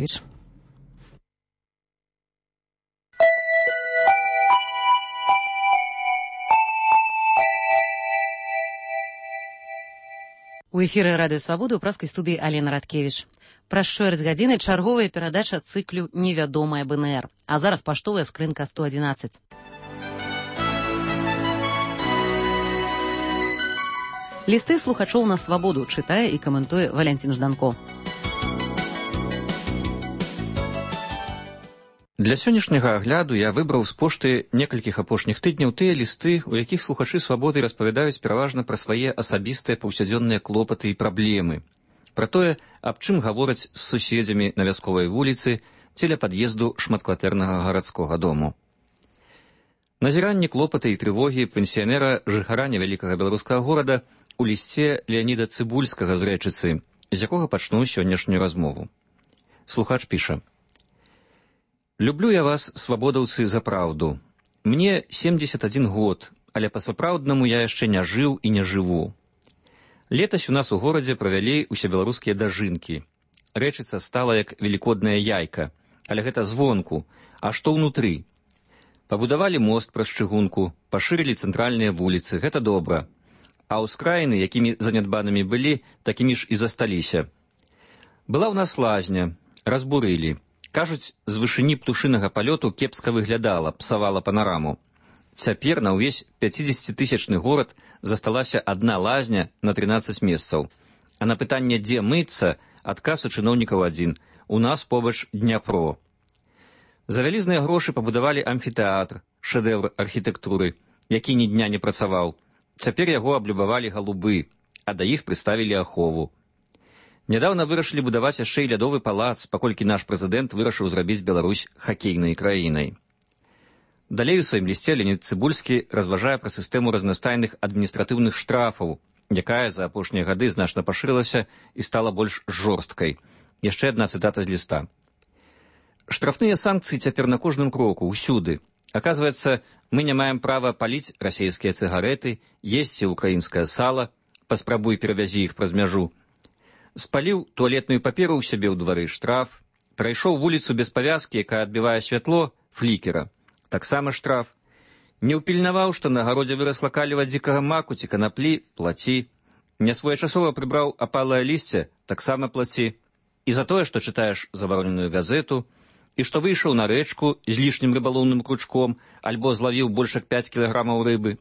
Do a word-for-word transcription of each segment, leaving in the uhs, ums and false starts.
Раткевич. У эфіры радыё Свабода ў праскай студыі Алена Раткевич. Праз чвэрць гадзіны чарговая перадача цыклю «Невядомая БНР». А зараз паштовая скрынка сто адзінаццаць. Лісты слухачоў на Свабоду чытае і каментуе Валянцін Жданко. Для сённяшняга агляду я выбраў з пошты некалькіх апошніх тыдняў тыя лісты, у якіх слухачы Свабоды распавядаюць пераважна пра свае асабістыя паўсядзённыя клопаты і праблемы, пра тое, аб чым гавораць з суседзямі на вясковай вуліцы ці ля пад'езду шматкватэрнага гарадскога дому. Назіранні, клопаты і трывогі пенсіянера жыхара невялікага беларускага горада у лісце Леаніда Цыбульскага з Рэчыцы, з якога пачну сённяшнюю размову. Слухач піша: «Люблю я вас, свабодаўцы, за праўду. Мне семьдесят один год, але па-сапраўднаму я яшчэ не жыў і не жыву. Летась у нас у горадзе правялі усебеларускія дажынкі. Рэчыца стала як велікодная яйка, але гэта звонку, а што ўнутры? Пабудавалі мост праз чыгунку, пашырылі цэнтральныя вуліцы, гэта добра. А ўскраіны, якімі занядбанымі былі, такімі ж і засталіся. Была ў нас лазня, разбурылі. Кажуць, з вышыні птушынага палёту кепска выглядала, псавала панараму. Цяпер на ўвесь пяцідзесяцітысячны горад засталася адна лазня на трынаццаць месцаў. А на пытанне, дзе мыцца, адказ у чыноўнікаў адзін: у нас побач Дняпро. За вялізныя грошы пабудавалі амфітэатр, шэдэўр архітэктуры, які ні дня не працаваў. Цяпер яго аблюбавалі галубы, а да іх прыставілі ахову. Нядаўна вырашылі будаваць яшчэ і лядовы палац, паколькі наш прэзідэнт вырашыў зрабіць Беларусь хакейнай краінай. Далей у сваім лісце Леанід Цыбульскі разважае пра сістэму разнастайных адміністратыўных штрафаў, якая за апошнія гады значна пашырылася і стала больш жорсткай. Яшчэ адна цытата з ліста. «Штрафныя санкцыі цяпер на кожным кроку, усюды. Аказваецца, мы не маем права паліць расейскія цыгарэты, есці украінскае сала, паспрабуй перавязі іх праз мяжу. Спаліў туалетную паперу ў сябе ў двары, штраф. Прайшоў вуліцу без павязкі, якая адбівае святло, флікера. Таксама штраф. Не ўпільнаваў, што на гародзе вырасла каліва дзікага маку ці канаплі, плаці. Нясвоечасова прыбраў апалае лісце, таксама плаці. І за тое, што чытаеш забароненую газету, і што выйшаў на рэчку з лішнім рыбалоўным кручком, альбо злавіў больш як пяць кілаграмаў рыбы.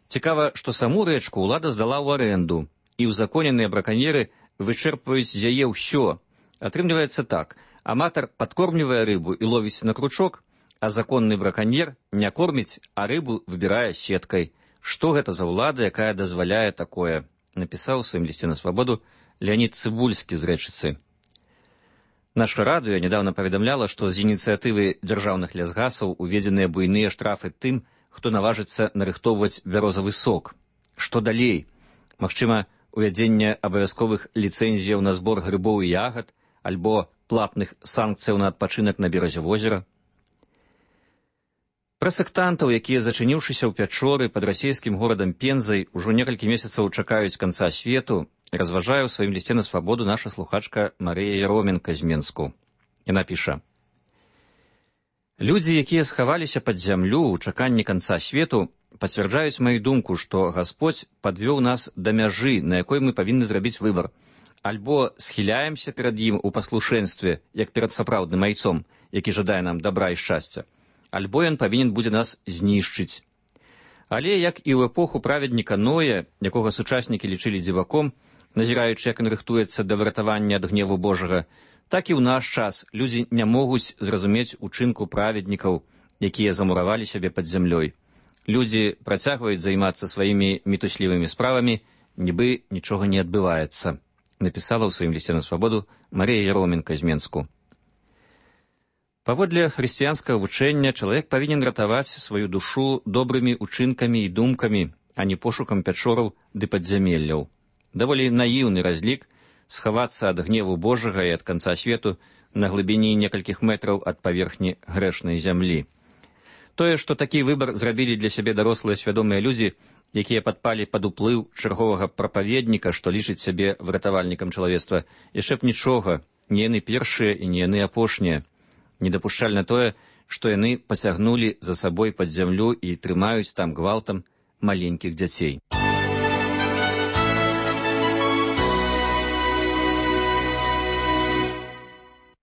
Цікава, што саму рэчку ўлада здала ў арэнду, і ўзаконеныя браканьеры вычэрпваюць з яе ўсё. Атрымліваецца так: аматар падкормлівае рыбу і ловіць на кручок, а законны браканьер не корміць, а рыбу выбірае сеткай. Што гэта за ўлада, якая дазваляе такое?» напісаў у сваім лісце на Свабоду Леанід Цыбульскі з Рэчыцы. Наша радыё нядаўна паведамляла, што з ініцыятывы дзяржаўных лясгасаў уведзеныя буйныя штрафы тым, хто наважыцца нарыхтоўваць бярозавы сок. Што далей? Магчыма, увядзенне абавязковых ліцэнзіяў на збор грыбоў і ягад, альбо платных санкцыяў на адпачынак на беразе возера. Пра сектантаў, якія, зачыніўшыся ў пячоры пад расійскім горадам Пензай, ужо некалькі месяцаў чакаюць канца свету, разважае ў сваім лісце на Свабоду наша слухачка Марыя Яроменка з Менску. Яна піша: «Людзі, якія схаваліся пад зямлю ў чаканні канца свету, пацвярджаюць маю думку, што Гасподзь падвёў нас да мяжы, на якой мы павінны зрабіць выбар. Альбо схіляемся перад ім у паслушэнстве, як перад сапраўдным айцом, які жадае нам дабра і шчасця, альбо ён павінен будзе нас знішчыць. Але, як і ў эпоху праведніка Ноя, якога сучаснікі лічылі дзіваком, назіраючы, як ён рыхтуецца да выратавання ад гневу Божага, так і ў наш час людзі не могуць зразумець учынку праведнікаў, якія замуравалі сябе пад зямлёй. Людзі працягваюць займацца сваімі мітуслівымі справамі, нібы нічога не адбываецца», напісала ў сваім лісце на Свабоду Марія Яроменка з Менску. Паводле хрысціянскага вучэння чалавек павінен ратаваць сваю душу добрымі учынкамі і думкамі, а не пошукам пячораў ды падзямелляў. Даволі наіўны разлік схавацца ад гневу Божага і ад канца свету на глыбіні некалькіх метраў ад паверхні грэшнай зямлі. Тое, што такі выбар зрабілі для сябе дарослыя свядомыя людзі, якія падпалі пад уплыў чарговага прапаведніка, што лічыць сябе выратавальнікам чалавецтва, яшчэ б нічога не яны першыя і не яны апошнія. Недапушчальна тое, што яны пасягнулі за сабой пад зямлю і трымаюць там гвалтам маленькіх дзяцей.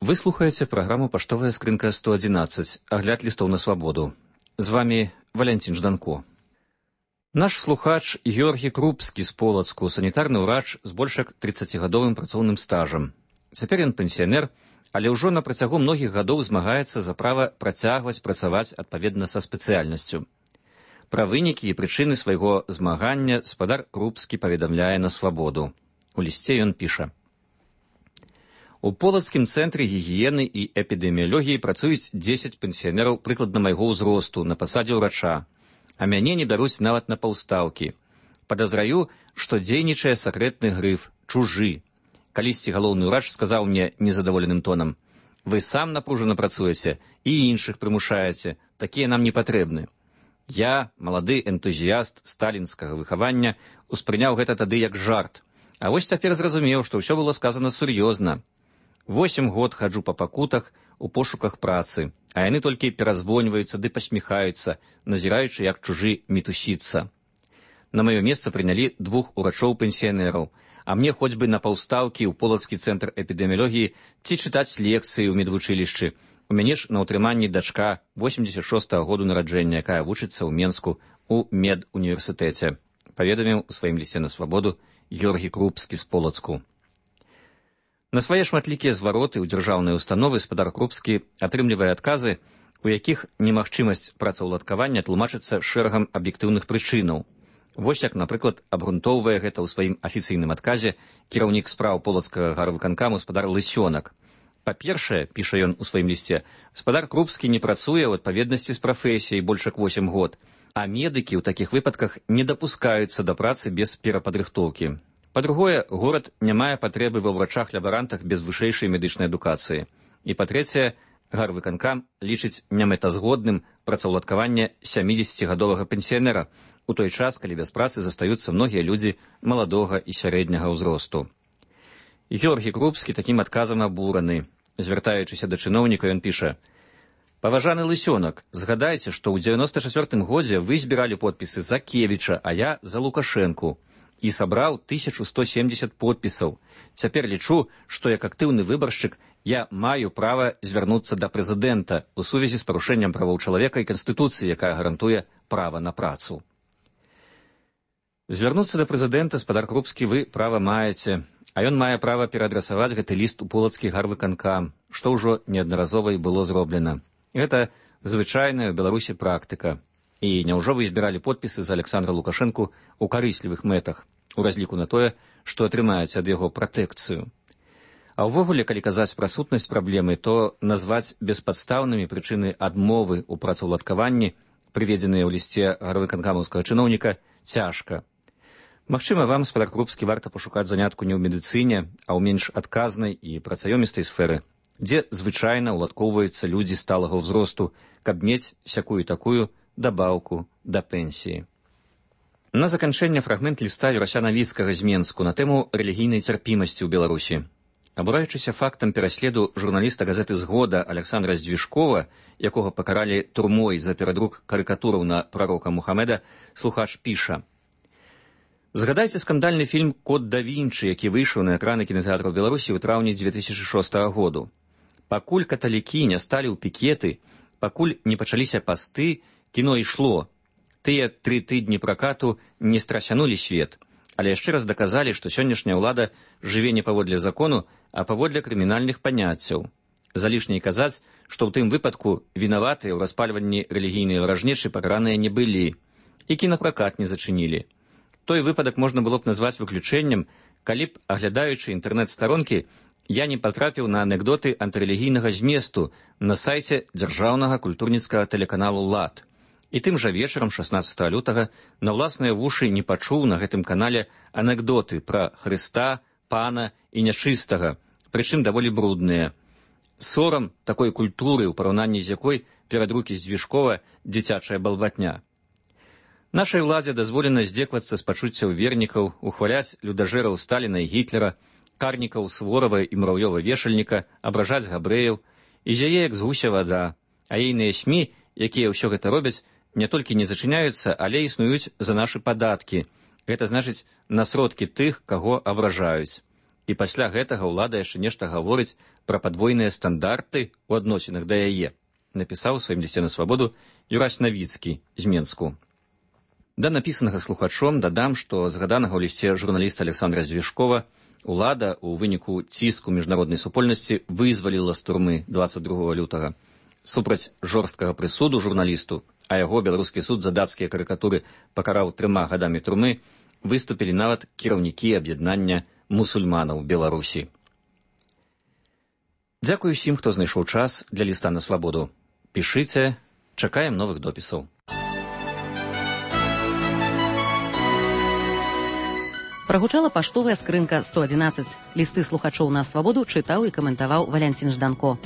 Вы слухаеце праграму «Паштовая скрынка сто адзінаццаць», агляд лістоў на свабоду. З вамі Валянцін Жданко. Наш слухач Георгій Крупскі з Полацку, санітарны ўрач з больш як трыццацігадовым працоўным стажам. Цяпер ён пенсіянер, але ўжо на працягу многіх гадоў змагаецца за права працягваць працаваць адпаведна са спецыяльнасцю. Пра вынікі і прычыны свайго змагання спадар Крупскі паведамляе на свабоду. У лісце ён піша: У Полацкім цэнтры гігіены і эпідэміялогіі працуюць дзесяць пенсіянераў прыкладна майго ўзросту на пасадзе ўрача, а мяне не бяруць нават на паўстаўкі. Падазраю, што дзейнічае сакрэтны грыф «чужы». Калісьці галоўны ўрач сказаў мне незадаволеным тонам: «Вы сам напружана працуеце і іншых прымушаеце, такія нам не патрэбны». Я, малады энтузіяст сталінскага выхавання, успрыняў гэта тады як жарт, а вось цяпер зразумеў, што ўсё было сказана сур'ёзна. Восем год хаджу па пакутах у пошуках працы, а яны толькі перазвоньваюцца ды пасміхаюцца, назіраючы, як чужы мітусіцца. На маё месца прынялі двух урачоў-пенсіянераў, а мне хоць бы на паўстаўкі ў Полацкі цэнтр эпідэміялогіі ці чытаць лекцыі ў медвучылішчы. У мяне ж на ўтрыманні дачка восемдзесят шостага году нараджэння, якая вучыцца ў Менску ў медуніверсітэце, паведаміў у сваім лісце на свабоду Георгій Крупскі з Полацку. На свае шматлікія звароты ў дзяржаўныя установы спадар Крупскі атрымлівае адказы, у якіх немагчымасць працаўладкавання тлумачыцца шэрагам аб'ектыўных прычынаў. Вось як, напрыклад, абгрунтоўвае гэта ў сваім афіцыйным адказе кіраўнік спраў Полацкага гарвыканкаму спадар Лысёнак. Па-першае, піша ён у сваім лісце, спадар Крупскі не працуе ў адпаведнасці з прафесіяй больш як восем год, а медыкі ў такіх выпадках не дапускаюцца да працы без перападрыхтоўкі. Па-другое, горад не мае патрэбы ва ўрачах-лябарантах без вышэйшай медычнай адукацыі. І па-трэцяе, гарвыканкам лічыць немэтазгодным працаўладкаванне сямідзесяцігадовага пенсіянера, у той час, калі без працы застаюцца многія людзі маладога і сярэдняга ўзросту. Георгій Крупскі такім адказам абураны. Звяртаючыся да чыноўніка, ён піша: «Паважаны Лысёнак, згадайце, што ў дзевяноста чацвёртым годзе вы збіралі подпісы за Кевіча, а я за Лукашэнку. І сабраў тысячу сто семдзесят подпісаў. Цяпер лічу, што як актыўны выбаршчык я маю права звярнуцца да прэзідэнта ў сувязі з парушэннем правоў чалавека і Канстытуцыі, якая гарантуе права на працу». Звярнуцца да прэзідэнта, спадар Крупскі, вы права маеце, а ён мае права пераадрасаваць гэты ліст у Полацкі гарвыканкам, што ўжо неаднаразова і было зроблена. Гэта звычайная ў Беларусі практыка. І няўжо вы збіралі подпісы за Александра Лукашэнку ў карыслівых мэтах, у разліку на тое, што атрымаеце ад яго пратэкцыю. А ўвогуле, калі казаць пра сутнасць праблемы, то назваць беспадстаўнымі прычыны адмовы ў працаўладкаванні, прыведзеныя ў лісце гарвыканкамаўскага чыноўніка, цяжка. Магчыма, вам, спадар Крупскі, варта пашукаць занятку не ў медыцыне, а ў менш адказнай і працаёмістай сферы, дзе звычайна ўладкоўваюцца людзі сталага ўзросту, каб мець сякую такую дабаўку да пенсіі. На заканчэнне фрагмент ліста Юрася Навіцкага з Менску на тэму рэлігійнай цярпімасці ў Беларусі. Абураючыся фактам пераследу журналіста газеты «Згода» Александра Здвижкова, якога пакаралі турмой за перадрук карыкатураў на прарока Мухамеда, слухач піша: «Згадайце скандальны фільм «Код да Вінчы», які выйшаў на экраны кінатэатраў Беларусі ў траўні дзве тысячы шостага году. Пакуль каталікі не сталі ў пікеты, пакуль не пачаліся пасты, кіно ішло. Тыя тры тыдні пракату не страсянулі свет, але яшчэ раз даказалі, што сённяшняя ўлада жыве не паводле закону, а паводле крымінальных паняццяў. Залішне казаць, што ў тым выпадку вінаватыя ў распальванні рэлігійнай варажнечы пакараныя не былі, і кінапракат не зачынілі. Той выпадак можна было б назваць выключэннем, калі б, аглядаючы інтэрнэт-старонкі, я не патрапіў на анекдоты антырэлігійнага зместу на сайце дзяржаўнага культурніцкага тэлеканалу «Лад». І тым жа вечарам шаснаццатага лютага на ўласныя вушы не пачуў на гэтым канале анекдоты пра Хрыста, пана і нячыстага, прычым даволі брудныя. Сорам такой культуры, у параўнанні з якой перадрукі Здвижкова дзіцячая балбатня. Нашай уладзе дазволена здзеквацца з пачуццяў вернікаў, ухваляць людажэраў Сталіна і Гітлера, карнікаў, Сворава і Мурав'ёва-вешальніка, абражаць габрэяў, і зяе, як з гуся вада, а ейныя СМІ, якія ўсё гэта робяць, не толькі не зачыняюцца, але існуюць за нашы падаткі. Гэта значыць на сродкі тых, каго абражаюць. І пасля гэтага ўлада яшчэ нешта гаворыць пра падвойныя стандарты ў адносінах да яе, напісаў у сваім лісце на свабоду Юрась Навіцкі з Менску. Да напісанага слухачом дадам, што згаданага ў лісце журналіста Александра Звешкова улада ў выніку ціску міжнароднай супольнасці вызваліла з турмы дваццаць другога лютага. Супраць жорсткага прысуду журналісту, а яго беларускі суд за дацкія карыкатуры пакараў трыма гадамі турмы, выступілі нават кіраўнікі аб'яднання мусульманаў Беларусі. Дзякую ўсім, хто знайшоў час для ліста на свабоду. Пішыце, чакаем новых допісаў. Прагучала паштовая скрынка сто адзінаццаць. Лісты слухачоў на свабоду чытаў і каментаваў Валянцін Жданко.